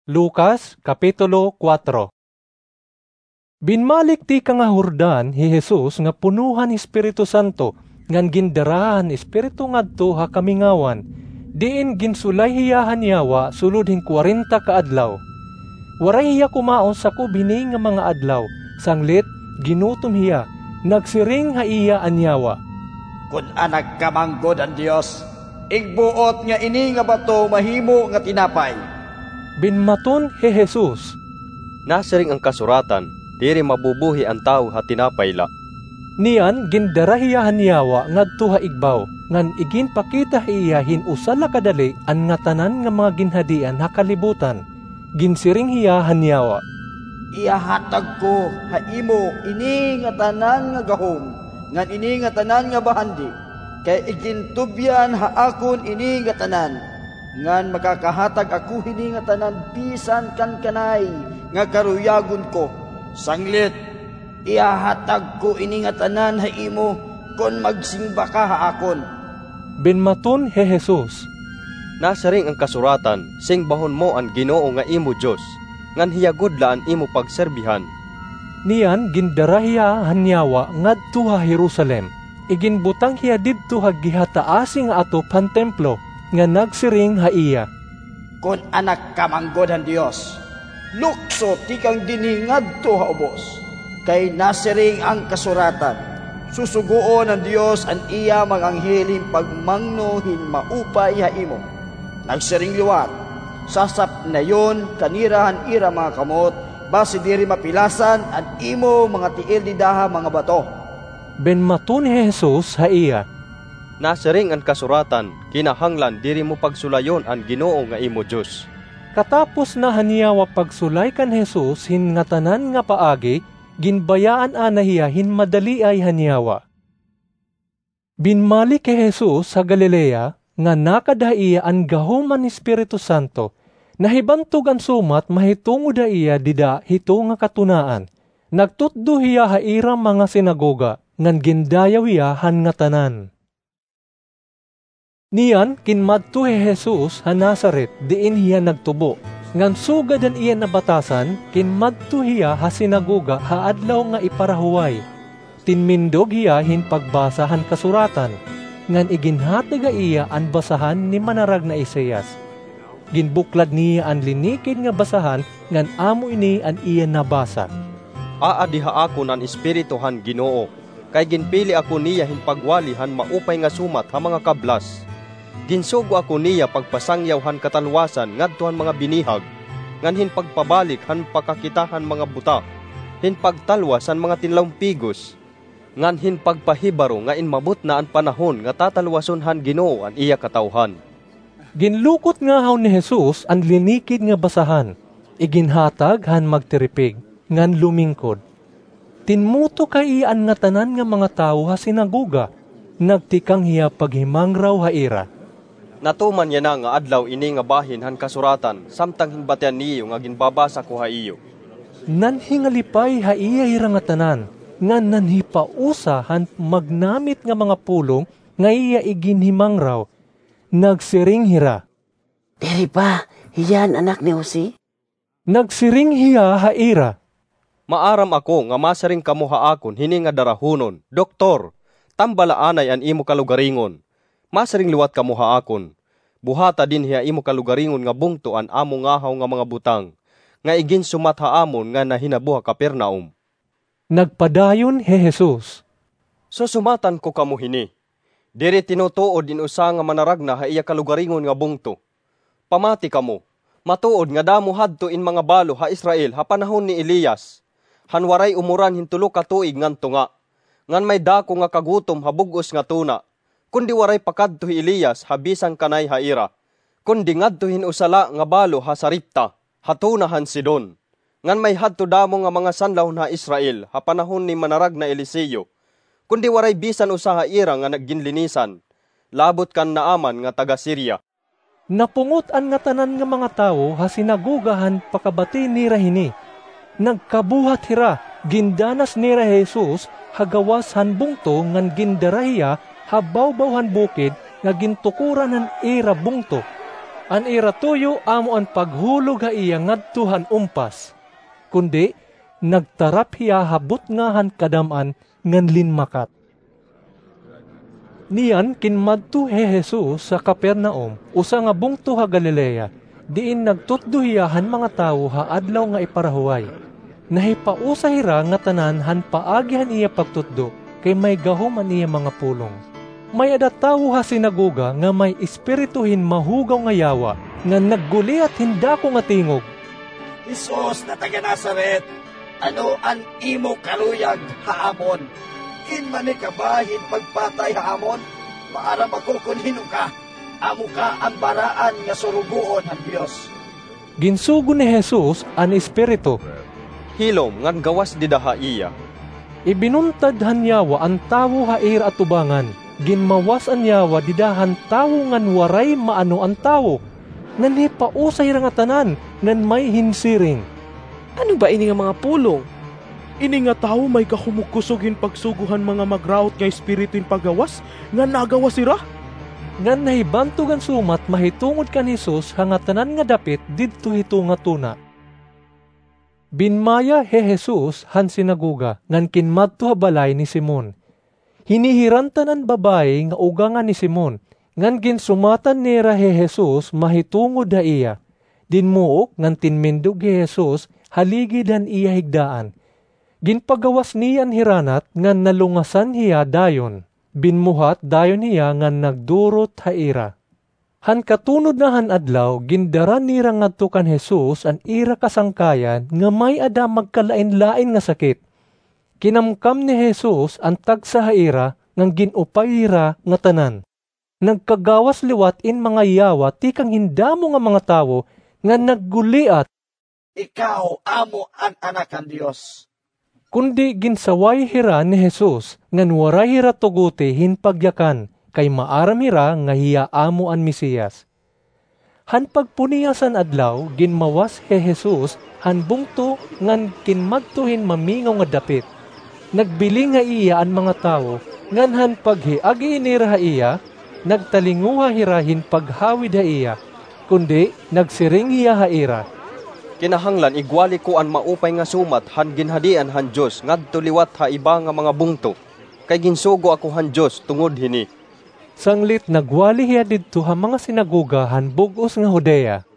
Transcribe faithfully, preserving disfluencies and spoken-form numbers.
Lucas, Kapitulo kuwatro. Binmalik tikang ha Jordan hi Jesus nga puno han Espiritu Santo, ngan gindara han Espiritu ngadto ha kamingawan, diin ginsulay hiya han yawa sulod hin kwarenta ka adlaw. Waray hiya kumaon sakob hini nga mga adlaw, sanglit ginutom hiya, nagsiring ha iya an yawa, "Kon Anak ka man gud han Dios, igbuot nga ini nga bato mahimo nga tinapay." Binmaton hi Jesus, "Nasiring an kasuratan, 'Diri mabubuhi an tawo ha tinapay la.'" Niyan gindara hiya han yawa ngadto ha igbaw, ngan iginpakita ha iya hin usa la kadali an ngatanan nga mga ginhadian ha kalibutan. Ginsiring hiya han yawa, "Ihahatag ko ha imo ini ngatanan nga gahom ngan ini ngatanan nga bahandi, kay igintubyan ha akon ini ngatanan, ngan makakahatag ako hini ngatanan bisan kan kanay nga karuyagon ko. Sanglit, ihahatag ko ini ngatanan ha imo kon magsimba ka ha akon." Binmaton hi Jesus, "Nasiring an kasuratan, 'Singbahon mo an Ginoo nga imo Dios, ngan hiya gud la an imo pagserbihan.'" Niyan gindara hiya han yawa ngadto ha Jerusalem. Iginbutang hiya didto ha gihataasi nga atop han templo, nga nagsiring ha iya, "Kon Anak ka man gud han Dios, lukso tikang dinhi ngadto ha ubos, kay nasiring an kasuratan, 'Susugoon han Dios an iya mga anghel hin pagmangno hin maupay ha imo.' Nagsiring liwat, 'Sasapnayon ka nira han ira mga kamot, basi diri mapilasan an imo mga tiil dida ha mga bato.'" Binmaton hi Jesus ha iya, "Nasiring an kasuratan, 'Kinahanglan diri mo pagsulayon an Ginoo nga imo Dios.'" Katapos na han yawa pagsulay kan Jesus hin ngatanan nga paagi, ginbayaan anay hiya hin madaliay han yawa. Binmalik hi Jesus ha Galilea, nga nakad ha iya an gahom han Espiritu Santo. Nahibantog an sumat mahitungod ha iya dida hito nga katunaan. Nagtutdo hiya ha ira mga sinagoga, ngan gindayaw hiya han ngatanan. Niyan ginmadto hi Jesus ha Nazaret, diin hiya nagtubo. Ngan sugad han iya nabatasan, ginmadto hiya ha sinagoga ha adlaw nga iparahuway. Tinmindog hiya hin pagbasa han kasuratan, ngan iginhatag ha iya an basahan ni manaragna Isaias. Ginbuklad niya an linikid nga basahan, ngan amo ini an iya nabasa, "Aadi ha akon an Espiritu han Ginoo, kay ginpili ako niya hin pagwali han maupay nga sumat ha mga kablas. Ginsugo ako niya pagpasangyaw han katalwasan ngadto han mga binihag, ngan hin pagpabalik han pakakita han mga buta, hin pagtalwas han mga tinlawmpigos, ngan hin pagpahibaro nga inmabot na an panahon nga tatalwason han Ginoo an iya katawhan." Ginlukot ngahaw ni Jesus an linikid nga basahan, iginhatag han magtiripig, ngan lumingkod. Tinmutok ha iya an ngatanan nga mga tawo ha sinagoga, nagtikang hiya paghimangraw ha ira, "Natuman yana nga adlaw ini nga bahin han kasuratan, samtang hinbatian niyo nga ginbabasa ko ha iyo." Nanhingalipay ha iya hira ngatanan, ngan nanhipausa han magnamit nga mga pulong nga iya iginhimangraw. Nagsiring hira, "Diri ba hiya an anak ni Jose?" Nagsiring hiya ha ira, "Maaram ako nga masiring kamo ha akon hini nga darahonon, 'Doktor, tambala anay an imo kalugaringon.' Masiring liwat kamo ha akon, 'Buhata dinhi ha imo kalugaringon nga bungto an amo ngahaw nga mga butang nga iginsumat ha amon nga nahinabo ha Capernaum.'" Nagpadayon hi Jesus, "Susumatan ko kamo hini, diri tinutuod in usa nga manaragna ha iya kalugaringon nga bungto. Pamati kamo, matuod nga damo hadto in mga balo ha Israel ha panahon ni Elias, han waray umuran hin tulo ka tuig ngan tunga, ngan may dako nga kagutom ha bug-os nga tuna, kundi waray pakadto hi Elias ha bisan kanay ha ira, kundi ngadto hin usa la nga balo ha Sarepta, ha tuna han Sidon. Ngan may hadto damo nga mga sanlahon ha Israel ha panahon ni manaragna Eliseo, kundi waray bisan usa ha ira nga nagginlinisan, labot kan Naaman nga taga-Siria." Napungot an ngatanan nga mga tawo ha sinagoga han pakabati nira hini. Nagkabuhat hira, gindanas nira hi Jesus ha gawas han bungto ngan gindara hiya ha bawbaw han bukid nga gintukoran han ira bungto. An ira tuyo amo an paghulog ha iya ngadto han umpas, kundi nagtarap hiya ha butnga han kadam-an ngan linmakat. Niyan kinmadto hi Jesus ha Capernaum, usa nga bungto ha Galilea, diin nagtutdo hiya han mga tawo ha Adlaw nga Iparahuway. Nahipausa hira ngatanan han paagi han iya pagtutdo, kay may gahom an iya mga pulong. May-ada tawo ha sinagoga nga may espiritu hin mahugaw nga yawa, nga nagguliat hin dako nga tingog, "Jesus na taga Nazaret, ano an imo kaluyag ha amon? Kinmani ka ba hin pagpatay ha amon? Maaram ako kon hin-o ka. Amo ka an baraan nga surugoon han Dios." Ginsugo ni Jesus an espiritu, "Hilom ngan gawas dida ha iya." Ibinuntad han yawa an tawo ha ira atubangan. Ginmawas an yawa dida han tawo ngan waray maano an tawo. Nanhipausa hira ngatanan ngan may hinsiring, "Ano ba ini nga mga pulong? Ini nga tawo may kahumugkusog hin pagsugo han mga magraot nga espiritu hin paggawas, ngan nagawas hira?" Ngan nahibantog an sumat mahitungod kan Jesus ha ngatanan nga dapit didto hi tunga tuna. Binmaya hi Jesus han sinagoga ngan kinmadto ha balay ni Simon. Hinihirantan an babaye nga ugangan ni Simon, ngan ginsumatan nira hi Jesus mahitungod ha iya. Dinmuok ngan tinmindog hi Jesus ha ligid han iya higdaan. Ginpagawas niya an hiranat ngan nalungasan hiya dayon. Binmuhat dayon hiya ngan nagdurot ha ira. Han katunod na han adlaw, gindara nira ngadto kan Jesus an ira kasangkayan nga may-ada magkalain-lain nga sakit. Kinamkam ni Jesus an tagsa ha ira ngan gin-upay hira ngatanan. Nagkagawas liwat in mga yawa tikang hin damo nga mga tawo nga nagguliat, "Ikaw amo an Anak han Dios." Kundi ginsaway hira ni Jesus ngan waray hira tuguti hin pagyakan, kay maaram hira nga hiya amo an Mesiyas. Han pagpunias han adlaw, ginmawas hi Jesus han bungto ngan kinmadto hin mamingaw nga dapit. Nagbiling ha iya an mga tawo, ngan han paghiagi nira ha iya, nagtalinguha hira hin paghawid ha iya, kundi nagsiring hiya ha ira, "Kinahanglan igwali ko an maupay nga sumat han ginhadian han Dios ngadto liwat ha iba nga mga bungto, kay ginsugo ako han Dios tungod hini." Sanglit nagwali hiya didto ha mga sinagoga han bug-os nga Judea.